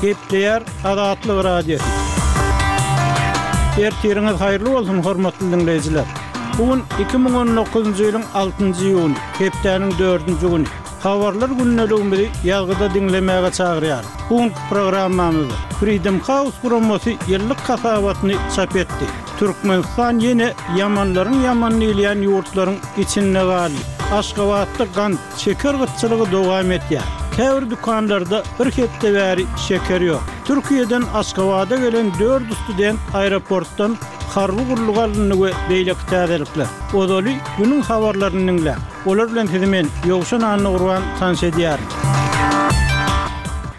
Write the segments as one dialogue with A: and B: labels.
A: Gepleýär Azatlyk Radiosy. Ertiriňiz haýyrly bolsun, hormatly diňleýjiler! Bu gün 2019-njy ýylyň altynjy iýuny, hepdäniň dördünji güni. Habarlar gündeligimizi ýazgyda diňlemäge çagyrýarys. Bu günki programmamyzda Freedom House guramasy ýyllyk hasabatyny çap etdi. Türkmenistan ýene ýamanlaryň ýamany diýilýän ýurtlaryň içinde galdy. Aşgabatda gant, şeker gytçylygy dowam edýär. Käbir dükanlarda bir hepde bäri şeker ýok. Türkiýeden Aşgabada gelen dört student aeroportdan harby gulluga alyndy we beýleki täzelikler. Ozaly günüň habarlaryny diňläň. Olar bilen sizi men, Ýowşan Annagurban tanyş edýärin.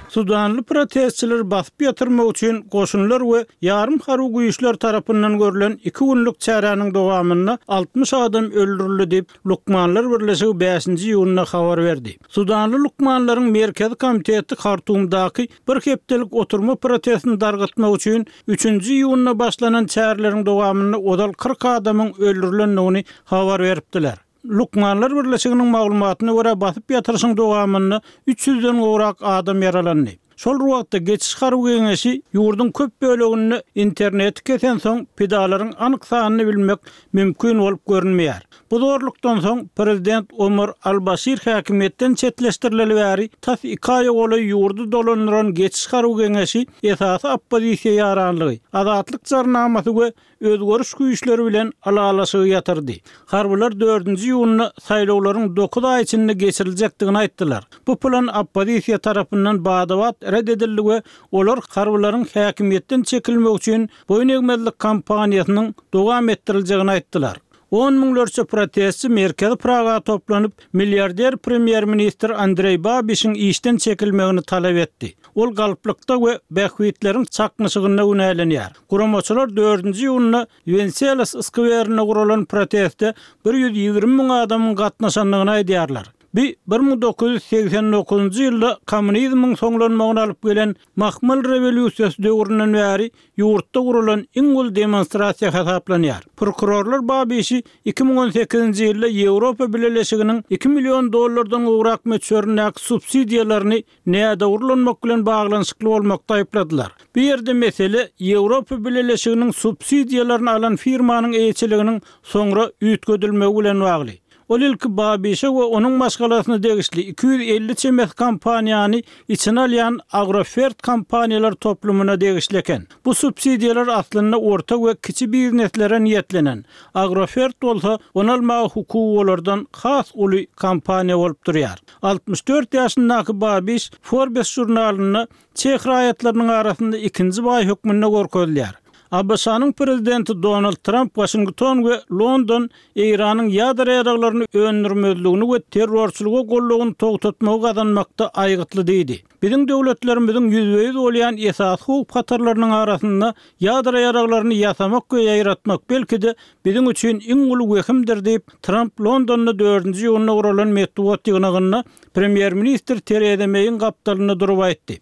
A: Sudanly protestçileri basyp ýatyrmak üçin goşunlar we ýarym harby güýçler tarapyndan görlen iki günlük çäräniň dowamynda 60 adam öldürildi diýip, Lukmanlar birleşigi bäşinji iýunda habar berdi. Sudanly lukmanlaryň Merkezi komiteti Hartumdaky bir hepdelik oturma protestini dargytmak üçin üçünji iýunda başlanan çäreleriň dowamynda ozal 40 adamyň öldürilendigini habar beripdiler. Lukmanlar birleşiginiň maglumatyna görä, basyp ýatyryşyň dowamynda üç ýüzden gowrak adam ýaralandy. Şol bir wagtda, Geçiş harby geňeşi ýurduň köp böleginde interneti kesensoň, pidalaryň anyk sanyny bilmek mümkin bolup görünmeýär. Bu zorlukdan soň, prezident Omar al-Başir häkimiýetden çetleşdirileli bäri tas iki aýa golaý ýurdy dolandyran Geçiş harby geňeşi esasy oppozisiýa ýaranlygy, Azatlyk jarnamasy we Özgeriş güýçleri bilen ylalaşygy ýatyrdy. Harbylar dördünji iýunda saýlawlaryň dokuz aý içinde geçiriljekdigini aýtdylar. Bu plan oppozisiýa tarapyndan bada-bat ret edildi we olar harbylaryň häkimiýetden çekilmegi üçin boýun egmezlik kampaniýasynyň dowam etdiriljegini aýtdylar. On müňlerçe protestçi merkezi Praga toplanyp, milliarder premýer-ministr Andreý Babişiň işden çekilmegini talap etdi. Ol galplykda we bähbitleriň çaknyşygynda günälenýär. Guramaçylar dördünji iýunda Wenselas skwerinde guralan proteste 120 müň adamyň gatnaşandygyny aýdýarlar. Bu 1989-njy ýylda kommunizmiň soňlanmagyna alyp gelen Mahmal rewolýusiýasy döwründen bäri ýurtda guralan iň uly demonstrasiýa hasaplanýar. Prokurorlar Babişi 2018-nji ýylda Ýewropa Bileleşiginiň iki million dollardan gowrak möçberindäki subsidiýalaryny nädogry ulanmak bilen baglanyşykly bolmakda aýypladylar. Bu ýerde mesele Ýewropa Bileleşiginiň subsidiýalaryny alan firmanyň eýeçiliginiň soňra üýtgedilmegi bilen bagly. Ol ilki Babişe we onuň maşgalasyna degişli 250 çemesi kompaniýany içine alýan Agrofert kompaniýalar toplumyna degişli eken. Bu subsidiýalar aslynda orta we kiçi bizneslere niýetlenen. Agrofert bolsa ony almaga hukugy olardan has uly kompaniýa bolup durýar. 64 ýaşyndaky Babiş Forbes žurnalynda çeh raýatlarynyň arasynda ikinji baý hökmünde görkezilýär. ABŞ-nyň prezidenti Donald Tramp Waşington we London Eýranyň ýadro ýaraglaryny öndürmezligini we terrorçylyga goldawyny togtatmagy gazanmakda aýgytly diýdi. Biziň döwletlerimiziň ýüzbe-ýüz bolýan esasy howp-hatarlarynyň arasynda ýadro ýaraglaryny ýasamak we ýaýratmak, belki-de, biziň üçin iň uly wehimdir diýip, Tramp Londonda dördünji iýunda guralan metbugat ýygnagynda premýer-ministr Tereza Meýiň gapdalynda durup aýtdy.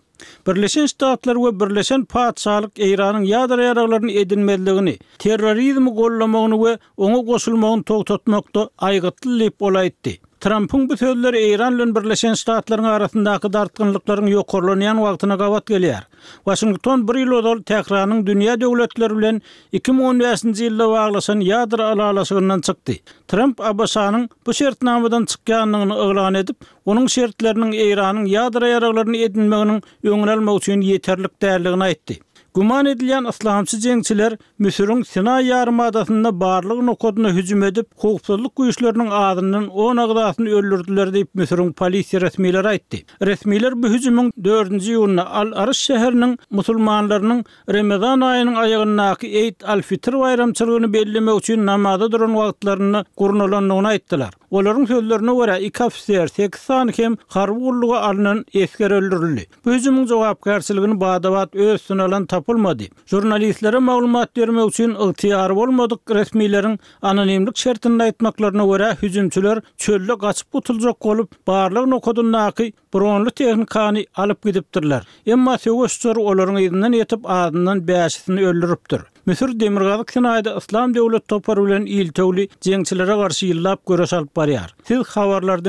A: Birleşen Ştatlar we Birleşen Patyşalyk Eýranyň ýadro ýaraglaryny edinmezligini, terrorizmi goldamagyny we oňa goşulmagyny togtatmakda aýgytly diýip, ol aýtdy. Trampyň bu sözleri Eýran bilen Birleşen Ştatlaryň arasyndaky dartgynlyklaryň ýokarlanýan wagtyna gabat gelýär. Waşington bir ýyl ozal Tähranyň dünýä döwletleri bilen 2015-nji ýylda baglaşan ýadro ylalaşygyndan çykdy. Tramp ABŞ-nyň bu şertnamadan çykýandygyny yglan edip, onuň şertleriniň Eýranyň ýadro ýaraglaryny edinmeginiň öňüni almak üçin ýeterlik däldigini aýtdy. Güman edilýän yslamçy jeňçiler Müsüriň Sinaý ýarymadasynda barlag nokadyna hüjüm edip, howpsuzlyk güýçleriniň azyndan on agzasyny öldürdiler diýip, Müsüriň polisiýa resmileri aýtdy. Resmiler bu hüjümiň dördünji iýunda Al-Aryş şäheriniň musulmanlarynyň Remezan aýynyň aýagyndaky Eýd al-Fitr baýramçylygyny bellemek üçin namaza duran wagtlarynda gurnalandygyny aýtdylar. Olaryň sözlerine görä, iki ofiser, sekiz sany hem harby gulluga alnan esger öldürildi. Bu hüjümiň jogapkärçiligini bada-bat öz üstüne alan tapylmady. Žurnalistlere maglumat bermek üçin ygtyýary bolmadyk resmileriň anonimlik şertinde aýtmaklaryna görä, hüjümçiler çölde gaçyp gutuljak bolup, barlag nokadyndaky bronly tehnikany alyp gidipdirler. Emma söweş uçary olaryň yzyndan ýetip, azyndan bäşisini öldüripdir. Müsür Demirgazyk Sinaýda Yslam döwlet topary bilen iltewli jeňçilere garşy ýyllap göreş alyp barýar. Siz habarlary diňläp.